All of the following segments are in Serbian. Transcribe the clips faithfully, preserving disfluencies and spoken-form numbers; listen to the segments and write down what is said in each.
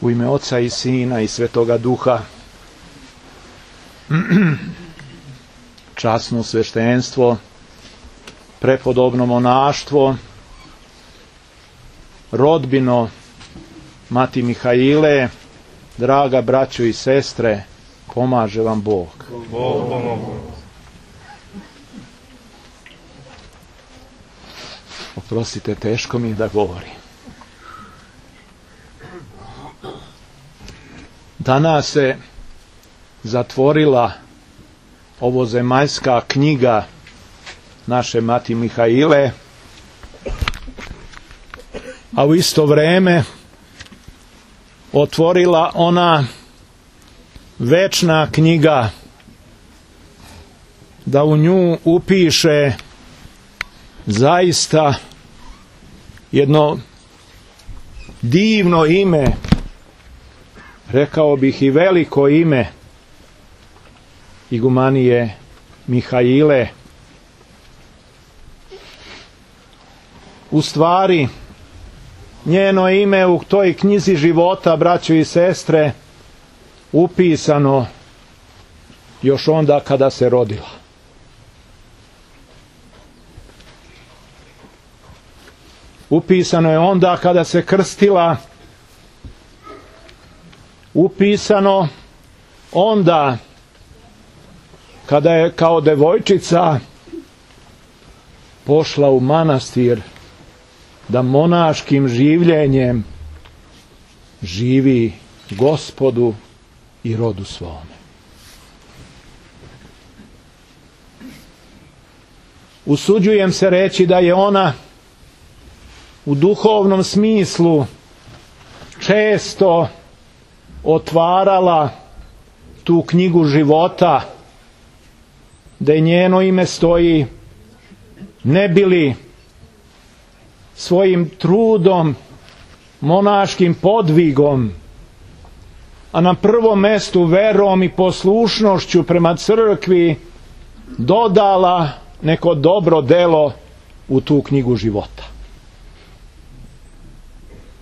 U ime Oca i Sina i Svetoga Duha. Časno sveštenstvo, prepodobno monaštvo, rodbino Mati Mihaile, draga braćo i sestre, pomaže vam Bog. Bog pomogu. Oprostite, teško mi da govorim. Danas se zatvorila ovozemaljska knjiga naše Mati Mihaile, a u isto vreme otvorila ona večna knjiga, da u nju upiše zaista jedno divno ime, rekao bih i veliko ime igumanije Mihaile. U stvari, njeno ime u toj knjizi života, braćo i sestre, upisano još onda kada se rodila. Upisano je onda kada se krstila, upisano onda kada je kao devojčica pošla u manastir da monaškim življenjem živi Gospodu i rodu svome. Usuđujem se reći da je ona u duhovnom smislu često otvarala tu knjigu života, da je njeno ime stoji, ne bili svojim trudom, monaškim podvigom, a na prvom mestu verom i poslušnošću prema crkvi dodala neko dobro delo u tu knjigu života.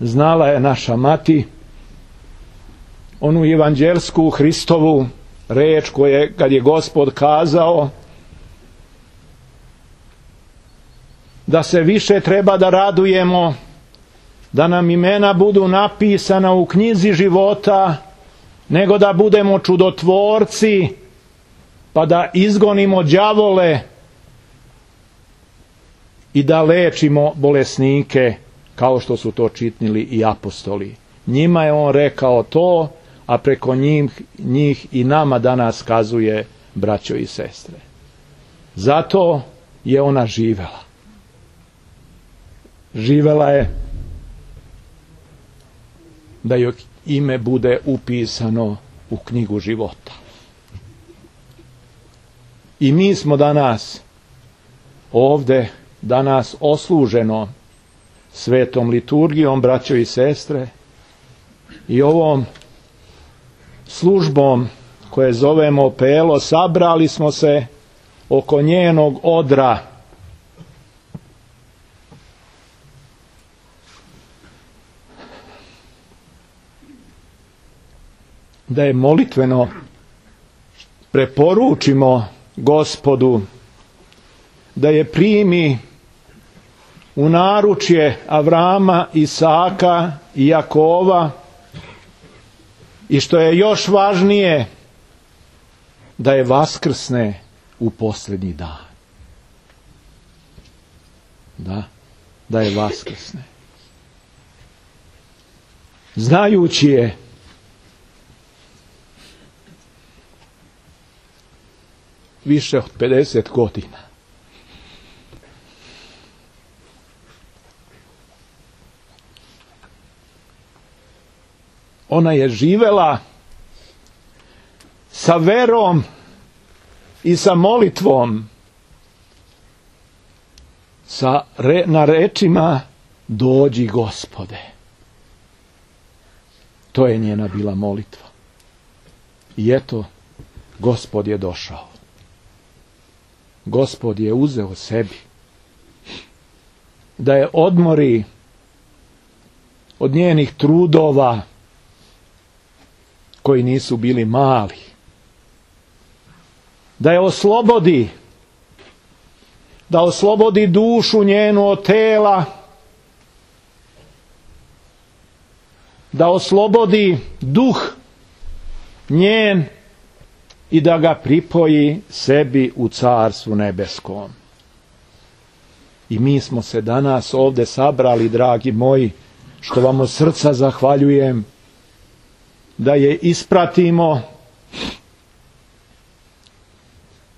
Znala je naša mati onu evanđelsku Hristovu reč koje kad je Gospod kazao da se više treba da radujemo, da nam imena budu napisana u knjizi života, nego da budemo čudotvorci, pa da izgonimo đavole i da lečimo bolesnike, kao što su to činili i apostoli. Njima je on rekao to, a preko njih, njih i nama danas kazuje, braćo i sestre. Zato je ona živela. Živela je da joj ime bude upisano u knjigu života. I mi smo danas ovde, danas osluženo svetom liturgijom, braćo i sestre, i ovom službom koje zovemo Pelo, sabrali smo se oko njenog odra. Da je molitveno preporučimo Gospodu, da je primi u naručje Avrama, Isaka i Jakova, i što je još važnije, da je vaskrsne u posljednji dan. Da, da je vaskrsne. Znajući je više od pedeset godina. Ona je živela sa verom i sa molitvom, sa re, na rečima dođi Gospode. To je njena bila molitva. I eto, Gospod je došao. Gospod je uzeo sebi da je odmori od njenih trudova, koji nisu bili mali. Da je oslobodi, da oslobodi dušu njenu od tela, da oslobodi duh njen i da ga pripoji sebi u carstvu nebeskom. I mi smo se danas ovdje sabrali, dragi moji, što vam od srca zahvaljujem, da je ispratimo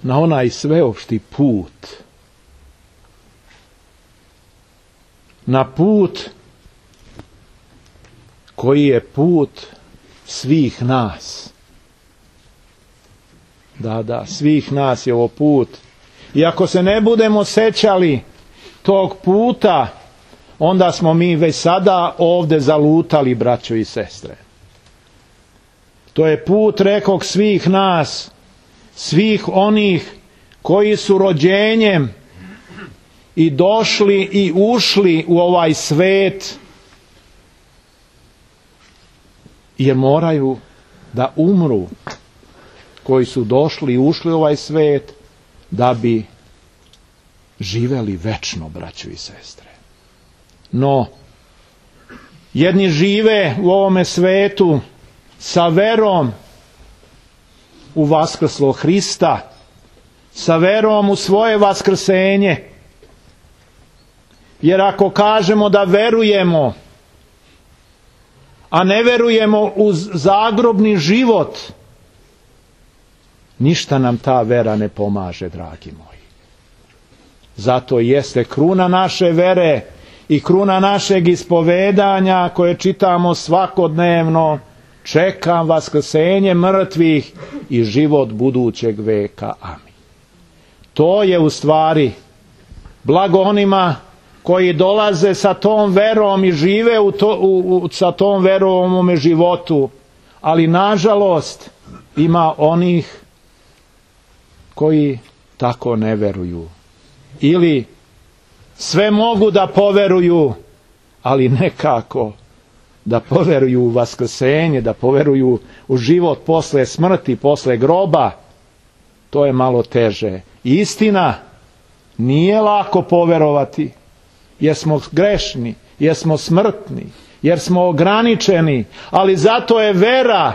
na onaj sveopšti put, na put koji je put svih nas. Da, da, svih nas je ovo put. I ako se ne budemo sećali tog puta, onda smo mi već sada ovdje zalutali, braćo i sestre. To je put, rekog, svih nas, svih onih koji su rođenjem i došli i ušli u ovaj svet, jer moraju da umru, koji su došli i ušli u ovaj svet, da bi živeli večno, braćo i sestre. No, jedni žive u ovome svetu sa verom u vaskrslog Hrista, sa verom u svoje vaskrsenje. Jer ako kažemo da verujemo, a ne verujemo u zagrobni život, ništa nam ta vera ne pomaže, dragi moji. Zato jeste kruna naše vere i kruna našeg ispovedanja koje čitamo svakodnevno: čekam vaskrsenje mrtvih i život budućeg veka. Amin. To je u stvari blago onima koji dolaze sa tom verom i žive u to, u, u, sa tom verom u ovome životu. Ali nažalost ima onih koji tako ne veruju. Ili sve mogu da poveruju, ali nekako da poveruju u vaskrsenje, da poveruju u život posle smrti, posle groba, to je malo teže. Istina, nije lako poverovati, jer smo grešni, jer smo smrtni, jer smo ograničeni, ali zato je vera,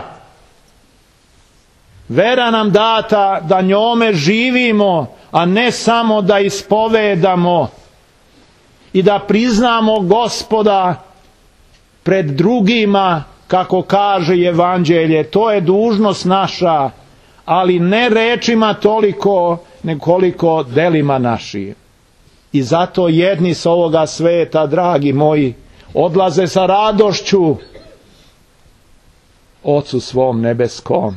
vera nam data da njome živimo, a ne samo da ispovedamo i da priznamo Gospoda pred drugima, kako kaže Evanđelje. To je dužnost naša, ali ne rečima toliko, nekoliko delima naših. I zato jedni s ovoga sveta, dragi moji, odlaze sa radošću Ocu svom nebeskom.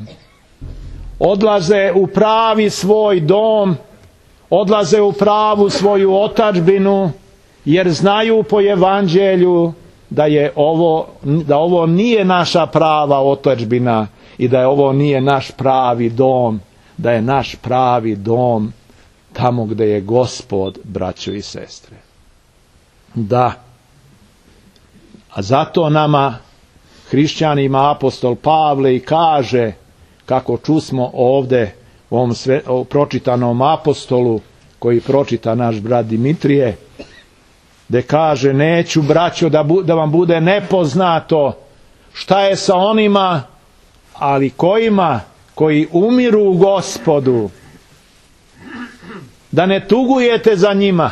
Odlaze u pravi svoj dom, odlaze u pravu svoju otadžbinu, jer znaju po Evanđelju da je ovo, da ovo nije naša prava otadžbina i da je ovo nije naš pravi dom, da je naš pravi dom tamo gdje je Gospod, braćo i sestre. Da. A zato nama, hrišćanima, apostol Pavle i kaže, kako čusmo ovdje u ovom sve, u pročitanom apostolu, koji pročita naš brat Dimitrije, gdje kaže: neću, braćo, da, bu, da vam bude nepoznato šta je sa onima, ali kojima, koji umiru u Gospodu, da ne tugujete za njima,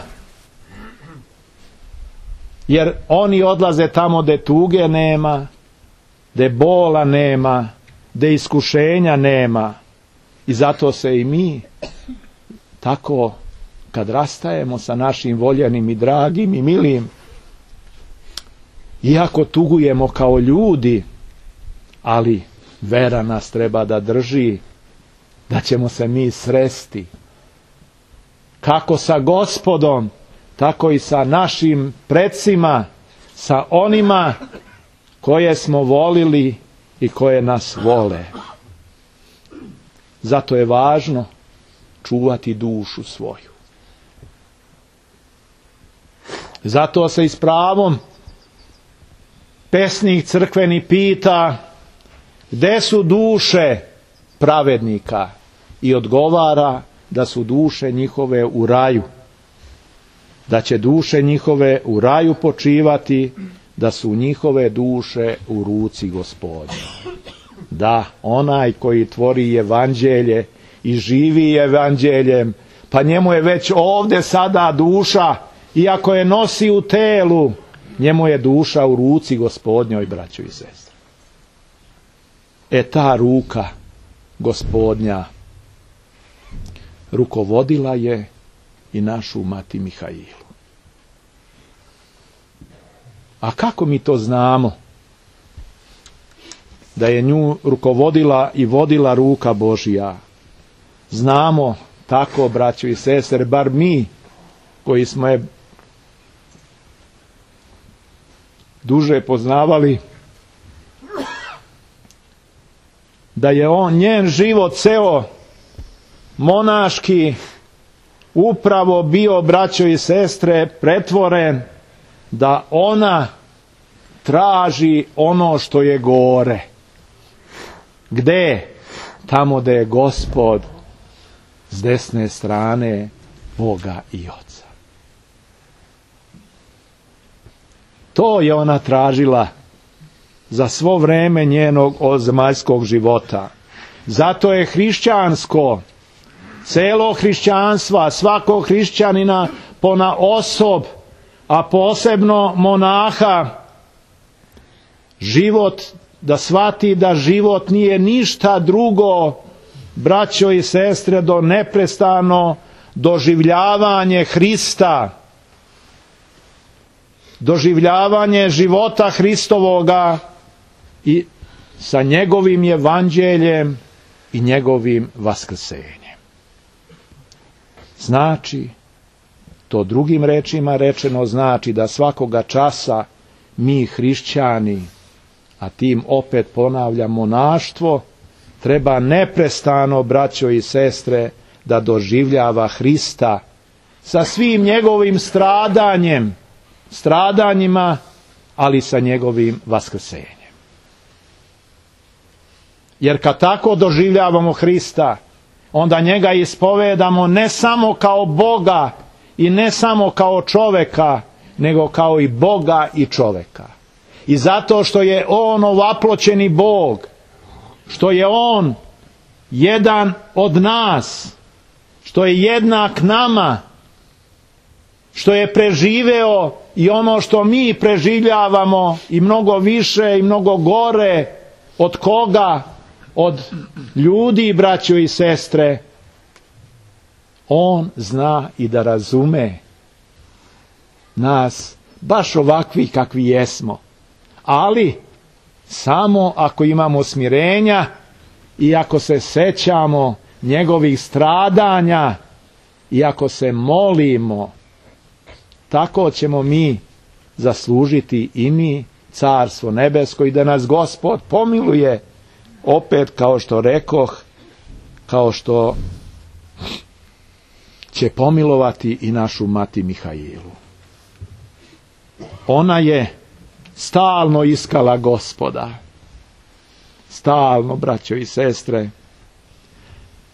jer oni odlaze tamo gdje tuge nema, gdje bola nema, gdje iskušenja nema. I zato se i mi tako, kad rastajemo sa našim voljenim i dragim i milim, iako tugujemo kao ljudi, ali vera nas treba da drži, da ćemo se mi sresti kako sa Gospodom, tako i sa našim predsima, sa onima koje smo volili i koje nas vole. Zato je važno čuvati dušu svoju. Zato se i s pravom pesnik crkveni pita: Gde su duše pravednika? I odgovara da su duše njihove u raju. Da će duše njihove u raju počivati, da su njihove duše u ruci Gospodnje. Da, onaj koji tvori evanđelje i živi evanđeljem, pa njemu je već ovdje sada duša, iako je nosi u telu, njemu je duša u ruci Gospodnjoj, braćo i sestre. E ta ruka Gospodnja rukovodila je i našu mati Mihailu. A kako mi to znamo? Da je nju rukovodila i vodila ruka Božja. Znamo tako, braćo i sestre, bar mi koji smo je duže poznavali, da je on, njen život ceo monaški upravo bio, braćo i sestre, pretvoren da ona traži ono što je gore. Gde? Tamo gde je Gospod s desne strane Boga i Oca. To je ona tražila za svo vreme njenog zemaljskog života. Zato je hrišćansko, celo hrišćanstva, svakog hrišćanina pona osob, a posebno monaha, život, da shvati da život nije ništa drugo, braćo i sestre, do neprestano doživljavanje Hrista, doživljavanje života Hristovoga i sa njegovim evanđeljem i njegovim vaskrsenjem. Znači, to drugim rečima rečeno znači da svakoga časa mi hrišćani, a tim opet ponavljam monaštvo, treba neprestano, braćo i sestre, da doživljava Hrista sa svim njegovim stradanjem, stradanjima, ali sa njegovim vaskrsenjem. Jer kad tako doživljavamo Hrista, onda njega ispovedamo ne samo kao Boga i ne samo kao čoveka, nego kao i Boga i čoveka. I zato što je on ovaploćeni Bog, što je on jedan od nas, što je jednak nama, što je preživeo i ono što mi preživljavamo i mnogo više i mnogo gore, od koga? Od ljudi, braćo i sestre. On zna i da razume nas baš ovakvi kakvi jesmo, ali samo ako imamo smirenja i ako se sećamo njegovih stradanja i ako se molimo, tako ćemo mi zaslužiti i mi carstvo nebesko i da nas Gospod pomiluje, opet kao što rekoh, kao što će pomilovati i našu mati Mihailu. Ona je stalno iskala Gospoda. Stalno, braćo i sestre.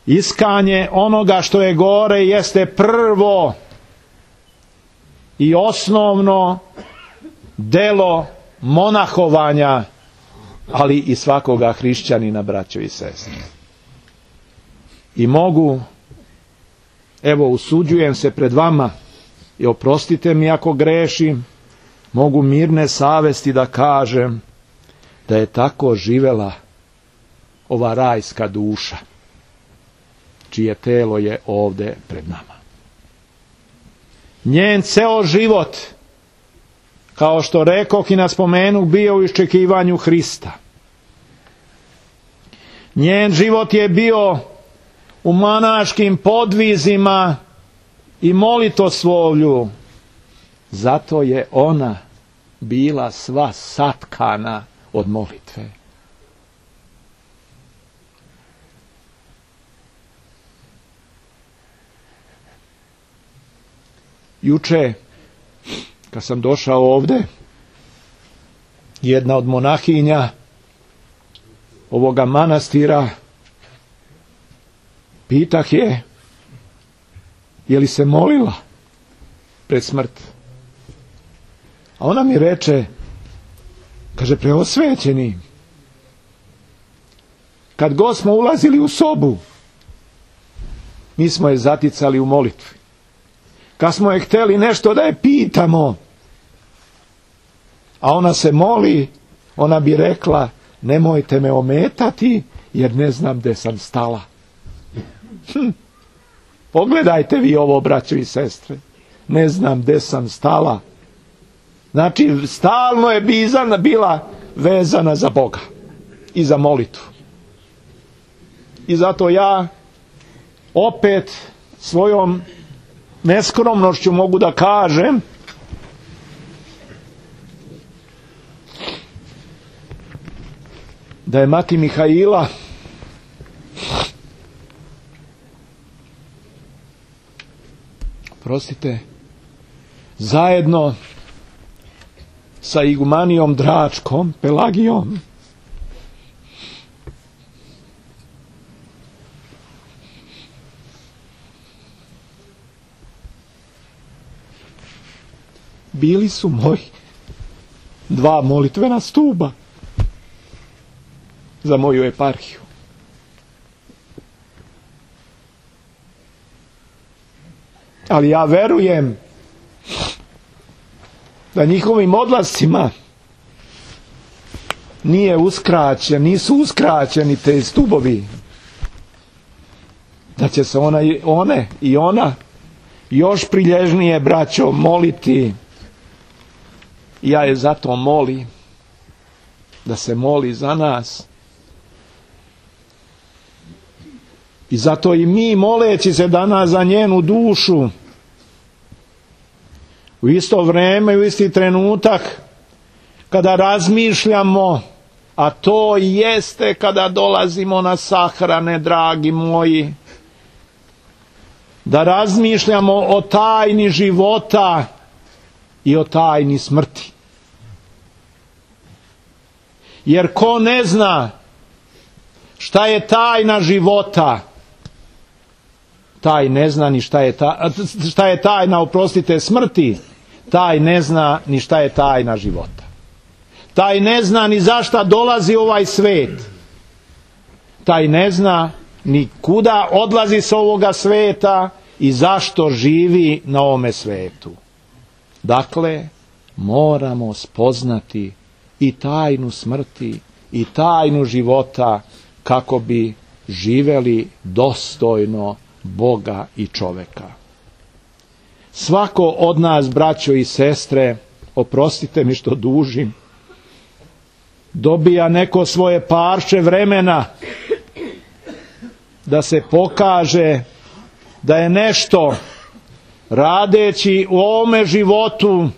Iskanje onoga što je gore jeste prvo i osnovno delo monahovanja, ali i svakoga hrišćanina, braćo i sestre. I mogu, evo, usuđujem se pred vama i oprostite mi ako grešim, mogu mirne savesti da kažem da je tako živela ova rajska duša, čije telo je ovdje pred nama. Njen ceo život, kao što rekoh i naspomenu, bio u iščekivanju Hrista. Njen život je bio u monaškim podvizima i molitoslovlju. Zato je ona bila sva satkana od molitve. Juče, kad sam došao ovdje, jedna od monahinja ovoga manastira, pitah je, je li se molila pred smrt? A ona mi reče, kaže, preosvećeni, kad god smo ulazili u sobu, mi smo je zaticali u molitvi. Kad smo je htjeli nešto da je pitamo, a ona se moli, ona bi rekla, nemojte me ometati, jer ne znam gdje sam stala. Hm. Pogledajte vi ovo, braćo i sestre. Ne znam gdje sam stala. Znači, stalno je bizana bila vezana za Boga i za molitvu. I zato ja opet svojom neskromnošću mogu da kažem da je mati Mihaila prostite zajedno sa igumanijom Dračkom, Pelagijom, bili su moji dva molitvena stuba za moju eparhiju. Ali ja verujem da njihovim odlascima nije uskraćen, nisu uskraćeni te stubovi. Da će se ona, one i ona još prilježnije, braćo, moliti. Ja je zato molim da se moli za nas. I zato i mi, moleći se danas za njenu dušu, u isto vrijeme i u isti trenutak kada razmišljamo, a to jeste kada dolazimo na sahrane, dragi moji, da razmišljamo o tajni života i o tajni smrti. Jer ko ne zna šta je tajna života, taj ne zna ni šta je, ta, šta je tajna, oprostite, smrti, taj ne zna ni šta je tajna života. Taj ne zna ni zašta dolazi ovaj svet. Taj ne zna ni kuda odlazi s ovoga sveta i zašto živi na ovome svetu. Dakle, moramo spoznati i tajnu smrti i tajnu života kako bi živjeli dostojno Boga i čoveka. Svako od nas, braćo i sestre, oprostite mi što dužim, dobija neko svoje parče vremena da se pokaže da je nešto radeći u ovome životu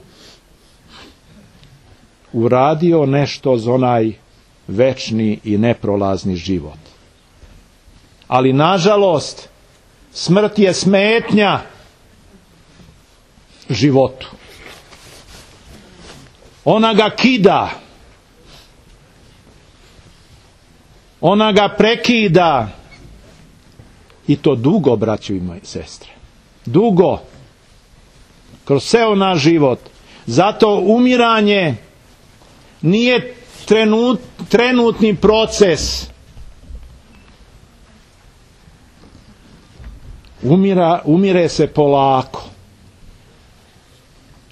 uradio nešto za onaj večni i neprolazni život. Ali nažalost, smrt je smetnja životu. Ona ga kida. Ona ga prekida. I to dugo, braćo i moje sestre. Dugo. Kroz ceo naš život. Zato umiranje nije trenut, trenutni proces. Umira, umire se polako.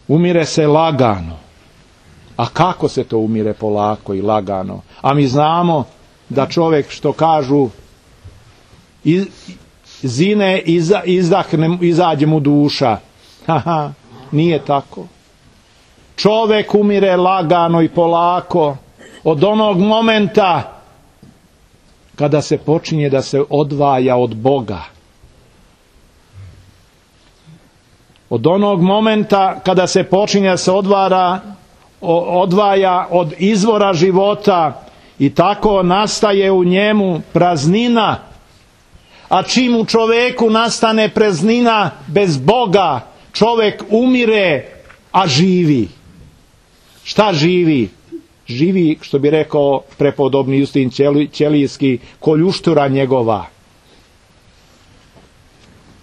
Umire se lagano. A kako se to umire polako i lagano? A mi znamo da čovjek, što kažu, iz, zine, iza, izdahne, izađe mu duša. Haha, nije tako. Čovjek umire lagano i polako od onog momenta kada se počinje da se odvaja od Boga. Od onog momenta kada se počinje da se odvara, odvaja od izvora života i tako nastaje u njemu praznina. A čim u čovjeku nastane praznina bez Boga, čovjek umire, a živi. Šta živi? živi, što bi rekao prepodobni Justin Ćelijski, ko ljuštura njegova.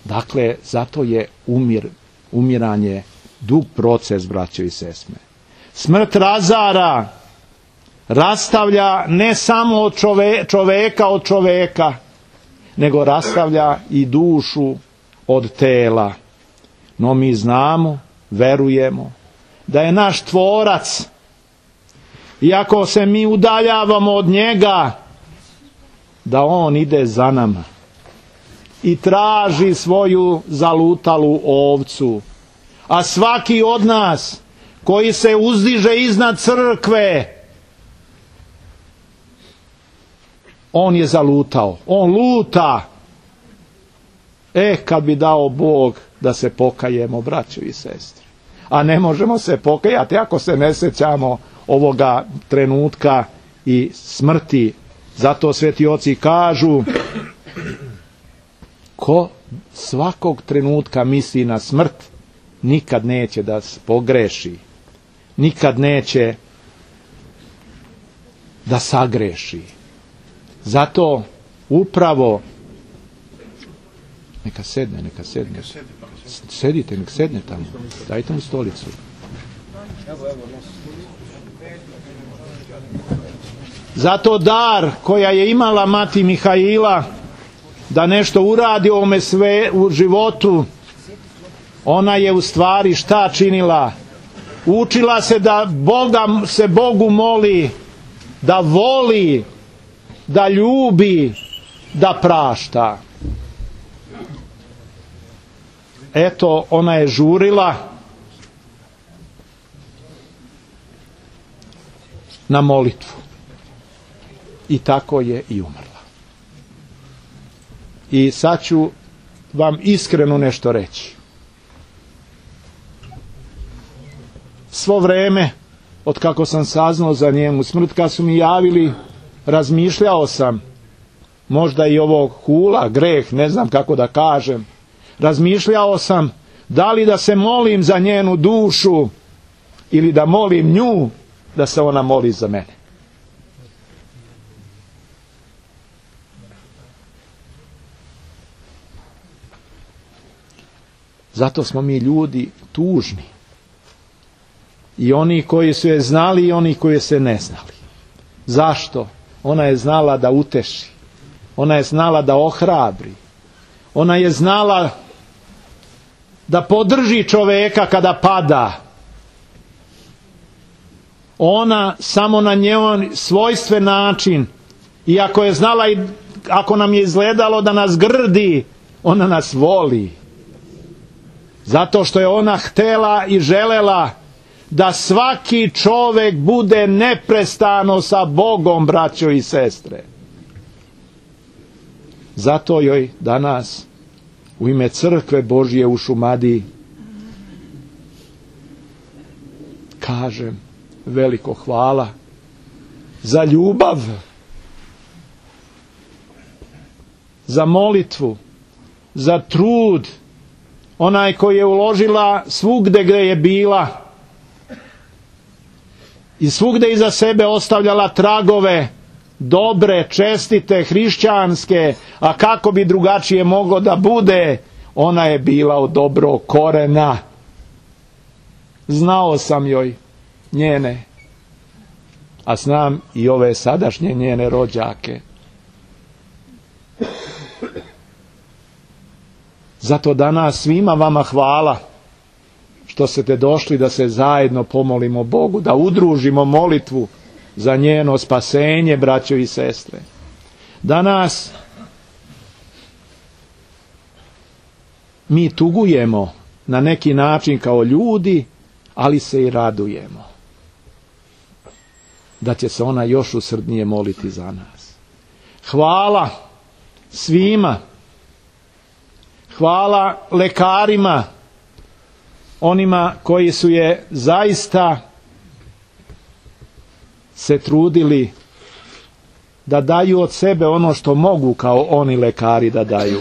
Dakle, zato je umir, umiranje dug proces, braćo i sestre. Smrt razara, rastavlja ne samo od čove, čoveka od čoveka, nego rastavlja i dušu od tela. No mi znamo, verujemo, da je naš tvorac, iako se mi udaljavamo od njega, da on ide za nama i traži svoju zalutalu ovcu. A svaki od nas koji se uzdiže iznad crkve, on je zalutao, on luta. E, kad bi dao Bog da se pokajemo, braćo i sestre. A ne možemo se pokajati ako se ne sjećamo ovoga trenutka i smrti. Zato sveti oci kažu, ko svakog trenutka misli na smrt, nikad neće da pogreši, nikad neće da sagreši. Zato upravo neka sedne, neka sedne. Sedite, nek sedne tamo. Dajte mu stolicu. Zato dar koja je imala mati Mihaila da nešto uradi u ovome sve u životu, ona je u stvari šta činila? Učila se da Boga, se Bogu moli, da voli, da ljubi, da prašta. Eto, ona je žurila na molitvu. I tako je i umrla. I sad ću vam iskreno nešto reći. Svo vreme, od kako sam saznao za njenu smrt, kad su mi javili, razmišljao sam, možda i ovo hula, greh, ne znam kako da kažem, razmišljao sam da li da se molim za njenu dušu ili da molim nju da se ona moli za mene. Zato smo mi ljudi tužni. I oni koji su je znali i oni koji se ne znali. Zašto? Ona je znala da uteši. Ona je znala da ohrabri. Ona je znala da podrži čoveka kada pada. Ona samo na njen svojstven način, iako je znala i ako nam je izgledalo da nas grdi, ona nas voli. Zato što je ona htela i želela da svaki čovek bude neprestano sa Bogom, braćo i sestre. Zato joj danas u ime Crkve Božje u Šumadiji kažem veliko hvala za ljubav, za molitvu, za trud, onaj koji je uložila svugde gde je bila i svugde iza sebe ostavljala tragove dobre, čestite, hrišćanske, a kako bi drugačije moglo da bude, ona je bila od dobrog korena. Znao sam joj njene, a znam i ove sadašnje njene rođake. Zato danas svima vama hvala što ste došli da se zajedno pomolimo Bogu, da udružimo molitvu za njeno spasenje, braćo i sestre. Danas mi tugujemo na neki način kao ljudi, ali se i radujemo da će se ona još usrdnije moliti za nas. Hvala svima. Hvala lekarima, onima koji su je zaista se trudili da daju od sebe ono što mogu kao oni lekari da daju.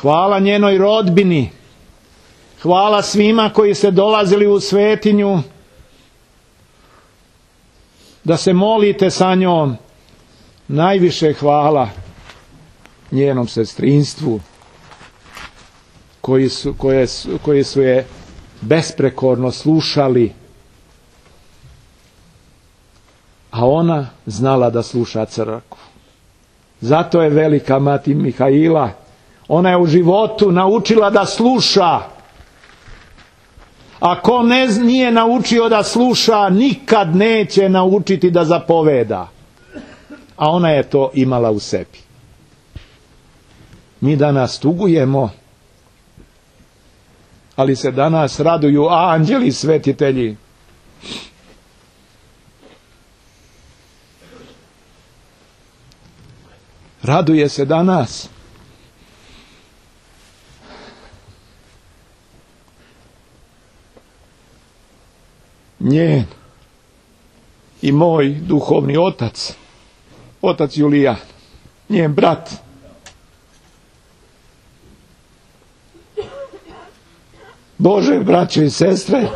Hvala njenoj rodbini, hvala svima koji se dolazili u svetinju da se molite sa njom. Najviše hvala njenom sestrinstvu koji su, koje su, koji su je besprekorno slušali, a ona znala da sluša crkvu. Zato je velika mati Mihaila. Ona je u životu naučila da sluša. Ako ne nije naučio da sluša, nikad neće naučiti da zapoveda. A ona je to imala u sebi. Mi danas tugujemo, ali se danas raduju anđeli i svetitelji. Raduje se danas njen i moj duhovni otac, otac Julijan, njen brat. Bože, braće i sestre,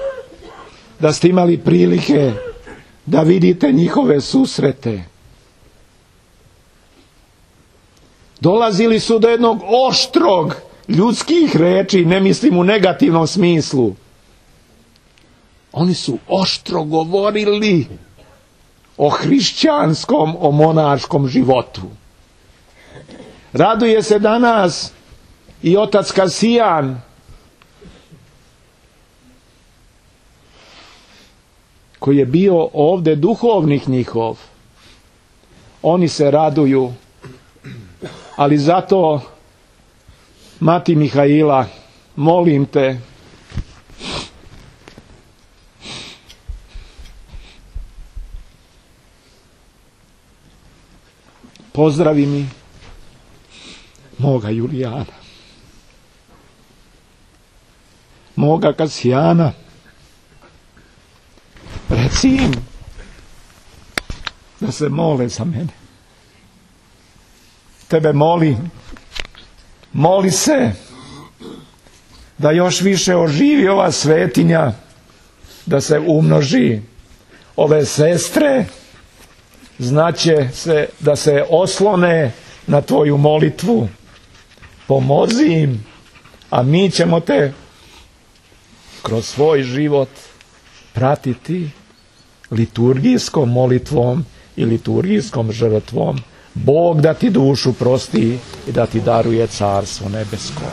da ste imali prilike da vidite njihove susrete. Dolazili su do jednog oštrog ljudskih reči, ne mislim u negativnom smislu. Oni su oštro govorili o hrišćanskom, o monaškom životu. Raduje se danas i otac Kasijan, koji je bio ovdje duhovnik njihov. Oni se raduju, ali zato, mati Mihaila, molim te, pozdravi mi moga Julijana, moga Kasijana, reci im da se mole za mene. Tebe molim, moli se da još više oživi ova svetinja, da se umnoži. Ove sestre znaće se da se oslone na tvoju molitvu. Pomozi im, a mi ćemo te kroz svoj život pratiti liturgijskom molitvom i liturgijskom žrtvom. Bog da ti dušu prosti i da ti daruje carstvo nebesko.